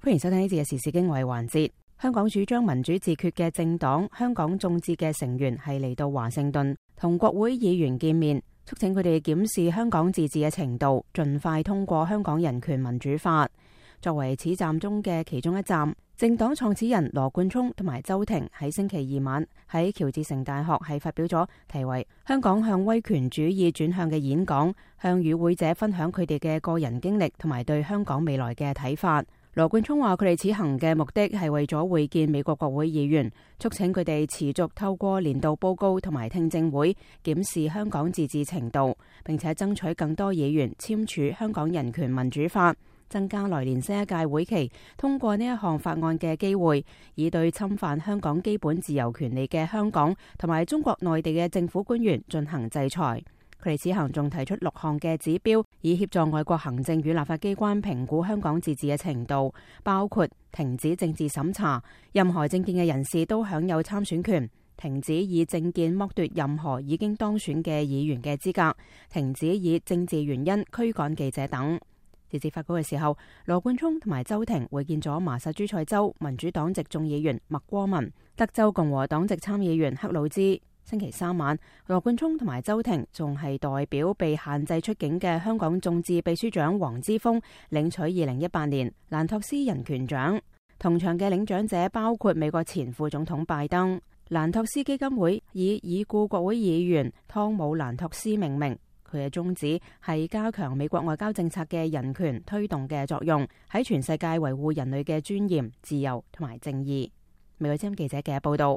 歡迎收聽呢節嘅時事經緯環節。香港主張民主自決嘅政黨香港眾志嘅成員係嚟到華盛頓同國會議員見面，促請佢哋檢視香港自治嘅程度，盡快通過香港人權民主法。作為此站中嘅其中一站，政黨創始人羅冠聰同埋周庭喺星期二晚喺喬治城大學係發表咗題為《香港向威權主義轉向》嘅演講，向與會者分享佢哋嘅個人經歷同埋對香港未來嘅睇法。羅冠聰話：佢哋此行嘅目的係為咗會見美國國會議員，促請佢哋持續透過年度報告同埋聽證會檢視香港自治程度，並且爭取更多議員簽署香港人權民主法，增加來年新一屆會期通過呢一項法案嘅機會，以對侵犯香港基本自由權利嘅香港同埋中國內地嘅政府官員進行制裁。佢哋此行仲提出6項嘅指標，以協助外國行政與立法機關評估香港自治嘅程度，包括停止政治審查，任何政見嘅人士都享有參選權；停止以政見剝奪任何已經當選嘅議員嘅資格；停止以政治原因驅趕記者等。截至發稿嘅時候，羅冠聰同埋周庭會見咗麻薩諸塞州民主黨籍眾議員麥戈文、德州共和黨籍參議員克魯茲。星期三晚，羅冠聰同埋周庭仲係代表被限制出境嘅香港眾志秘書長黃之鋒領取2018年蘭托斯人權獎。同場嘅領獎者包括美國前副總統拜登。蘭托斯基金會以已故國會議員湯姆蘭托斯命名，佢嘅宗旨係加強美國外交政策嘅人權推動嘅作用，喺全世界維護人類嘅尊嚴、自由同埋正義。美國之音記者嘅報道。